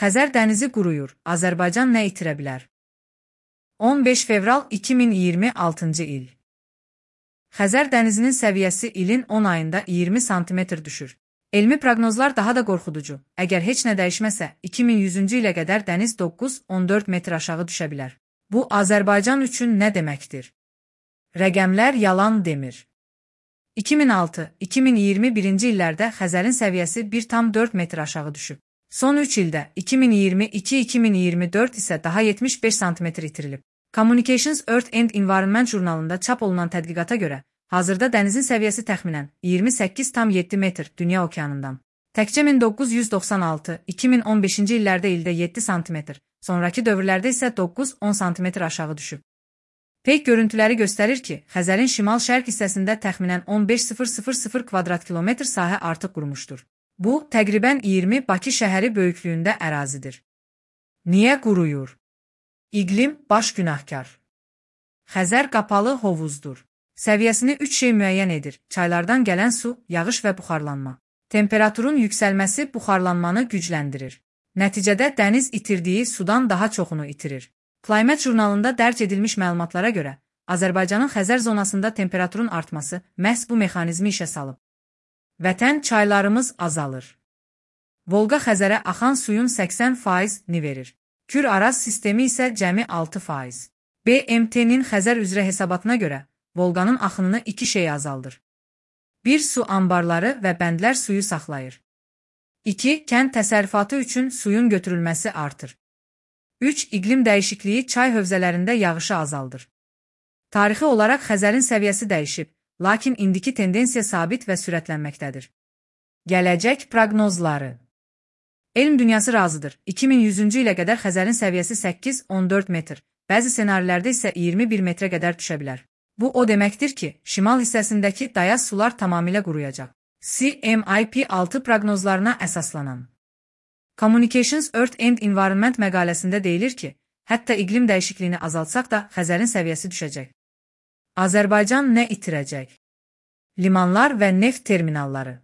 Xəzər dənizi quruyur, Azərbaycan nə itirə bilər? 15 fevral 2026-cı il. Xəzər dənizinin səviyyəsi ilin 10 ayında 20 sm düşür. Elmi proqnozlar daha da qorxuducu. Əgər heç nə dəyişməsə, 2100-cü ilə qədər dəniz 9-14 metr aşağı düşə bilər. Bu, Azərbaycan üçün nə deməkdir? Rəqəmlər yalan demir. 2006-2021-ci illərdə Xəzərin səviyyəsi 1,4 metr aşağı düşüb. Son 3 ildə 2022-2024 isə daha 75 sm itirilib. Communications Earth and Environment jurnalında çap olunan tədqiqata görə, hazırda dənizin səviyyəsi təxminən 28,7 metr dünya okeanından. Təkcə 1996-2015-ci illərdə ildə 7 sm, sonraki dövrlərdə isə 9-10 sm aşağı düşüb. Peyk görüntüləri göstərir ki, Xəzərin şimal-şərq hissəsində təxminən 15,000 kvadrat kilometr sahə artıq qurumuşdur. Bu, təqribən 20 Bakı şəhəri böyüklüyündə ərazidir. Niyə quruyur? İqlim baş günahkar. Xəzər qapalı hovuzdur. Səviyyəsini 3 şey müəyyən edir: çaylardan gələn su, yağış və buxarlanma. Temperaturun yüksəlməsi buxarlanmanı gücləndirir. Nəticədə dəniz itirdiyi sudan daha çoxunu itirir. Climate jurnalında dərc edilmiş məlumatlara görə, Azərbaycanın Xəzər zonasında temperaturun artması məhz bu mexanizmi işə salıb. Vətən çaylarımız azalır. Volqa Xəzərə axan suyun 80%-ni verir. Kür-Araz sistemi isə cəmi 6%. BMT-nin Xəzər üzrə hesabatına görə, Volqanın axınını 2 şey azaldır. 1. Su anbarları və bəndlər suyu saxlayır. 2. Kənd təsərrüfatı üçün suyun götürülməsi artır. 3. İqlim dəyişikliyi çay hövzələrində yağışı azaldır. Tarixi olaraq Xəzərin səviyyəsi dəyişib, lakin indiki tendensiya sabit və sürətlənməkdədir. Gələcək proqnozları. Elm dünyası razıdır. 2100-cü ilə qədər Xəzərin səviyyəsi 8-14 metr, bəzi ssenarilərdə isə 21 metrə qədər düşə bilər. Bu o deməkdir ki, şimal hissəsindəki dayaz sular tamamilə quruyacaq. CMIP6 proqnozlarına əsaslanan Communications Earth and Environment məqaləsində deyilir ki, hətta iqlim dəyişikliyini azaltsaq da Xəzərin səviyyəsi düşəcək. Azərbaycan nə itirəcək? Limanlar və neft terminalları.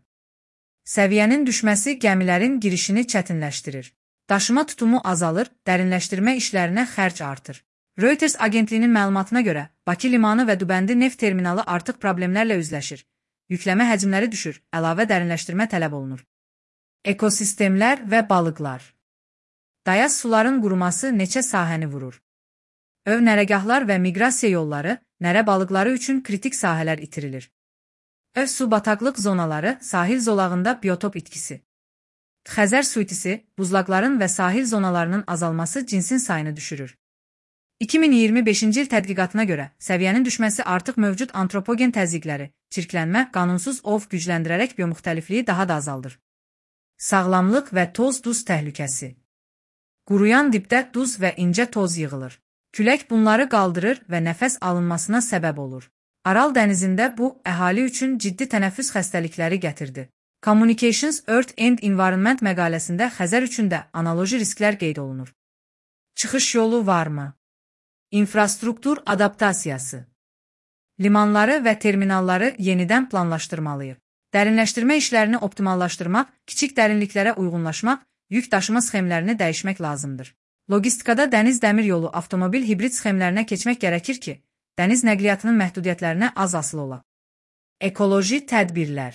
Səviyyənin düşməsi gəmilərin girişini çətinləşdirir. Daşıma tutumu azalır, dərinləşdirmə işlərinə xərc artır. Reuters agentliyinin məlumatına görə, Bakı limanı və Dübəndi neft terminalı artıq problemlərlə üzləşir. Yükləmə həcmləri düşür, əlavə dərinləşdirmə tələb olunur. Ekosistemlər və balıqlar. Dayaz suların quruması neçə sahəni vurur? Ov nərəgahlar və miqrasiya yolları, nərə balıqları üçün kritik sahələr itirilir. Ov su bataqlıq zonaları, sahil zolağında biotop itkisi. Xəzər su itisi, buzlaqların və sahil zonalarının azalması cinsin sayını düşürür. 2025-ci il tədqiqatına görə, səviyyənin düşməsi artıq mövcud antropogen təzyiqləri, çirklənmə, qanunsuz ov gücləndirərək biomuxtəlifliyi daha da azaldır. Sağlamlıq və toz-duz təhlükəsi. Quruyan dibdə duz və incə toz yığılır. Külək bunları qaldırır və nəfəs alınmasına səbəb olur. Aral dənizində bu, əhali üçün ciddi tənəffüs xəstəlikləri gətirdi. Communications Earth and Environment məqaləsində Xəzər üçün də analoji risklər qeyd olunur. Çıxış yolu varmı? İnfrastruktur adaptasiyası. Limanları və terminalları yenidən planlaşdırmalıyıq. Dərinləşdirmə işlərini optimallaşdırmaq, kiçik dərinliklərə uyğunlaşmaq, yük daşıma sxemlərini dəyişmək lazımdır. Logistikada dəniz dəmir yolu, avtomobil hibrid sxemlərinə keçmək gərəkir ki, dəniz nəqliyyatının məhdudiyyətlərinə az asılı olaq. Ekoloji tədbirlər.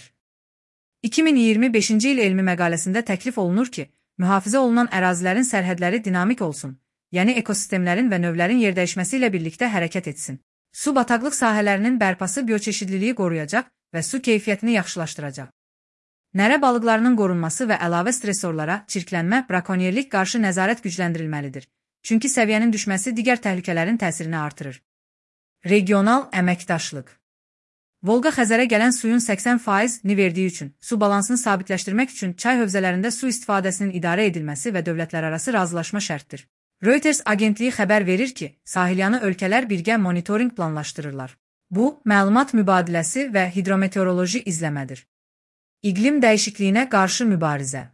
2025-ci il elmi məqaləsində təklif olunur ki, mühafizə olunan ərazilərin sərhədləri dinamik olsun, yəni ekosistemlərin və növlərin yerdəyişməsi ilə birlikdə hərəkət etsin. Su bataqlıq sahələrinin bərpası bioçeşidliliyi qoruyacaq və su keyfiyyətini yaxşılaşdıracaq. Nərə balıqlarının qorunması və əlavə stresorlara, çirklənmə, brakonyerlik qarşı nəzarət gücləndirilməlidir. Çünki səviyyənin düşməsi digər təhlükələrin təsirini artırır. Regional əməkdaşlıq. Volqa Xəzərə gələn suyun 80%-ni verdiyi üçün, su balansını sabitləşdirmək üçün çay hövzələrində su istifadəsinin idarə edilməsi və dövlətlərarası razılaşma şərtdir. Reuters agentliyi xəbər verir ki, sahilyanı ölkələr birgə monitorinq planlaşdırırlar. Bu, məlumat mübadiləsi və hidrometeoroloji izləmədir. İqlim dəyişikliyinə qarşı mübarizə.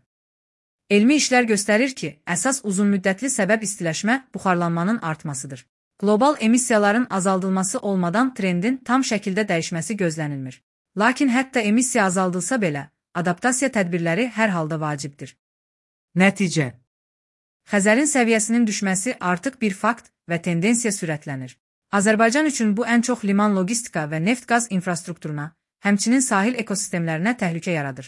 Elmi işlər göstərir ki, əsas uzunmüddətli səbəb istiləşmə, buxarlanmanın artmasıdır. Qlobal emissiyaların azaldılması olmadan trendin tam şəkildə dəyişməsi gözlənilmir. Lakin hətta emissiya azaldılsa belə, adaptasiya tədbirləri hər halda vacibdir. Nəticə. Xəzərin səviyyəsinin düşməsi artıq bir fakt və tendensiya sürətlənir. Azərbaycan üçün bu ən çox liman logistika və neft-qaz infrastrukturuna, həmçinin sahil ekosistemlərinə təhlükə yaradır.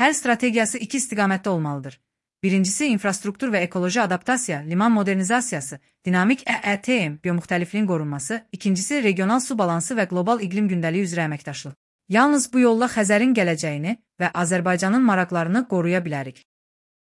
Həll strategiyası iki istiqamətdə olmalıdır. Birincisi, infrastruktur və ekoloji adaptasiya, liman modernizasiyası, dinamik EETM, biomüxtəlifliyin qorunması, ikincisi, regional su balansı və qlobal iqlim gündəliyi üzrə əməkdaşlıq. Yalnız bu yolla Xəzərin gələcəyini və Azərbaycanın maraqlarını qoruya bilərik.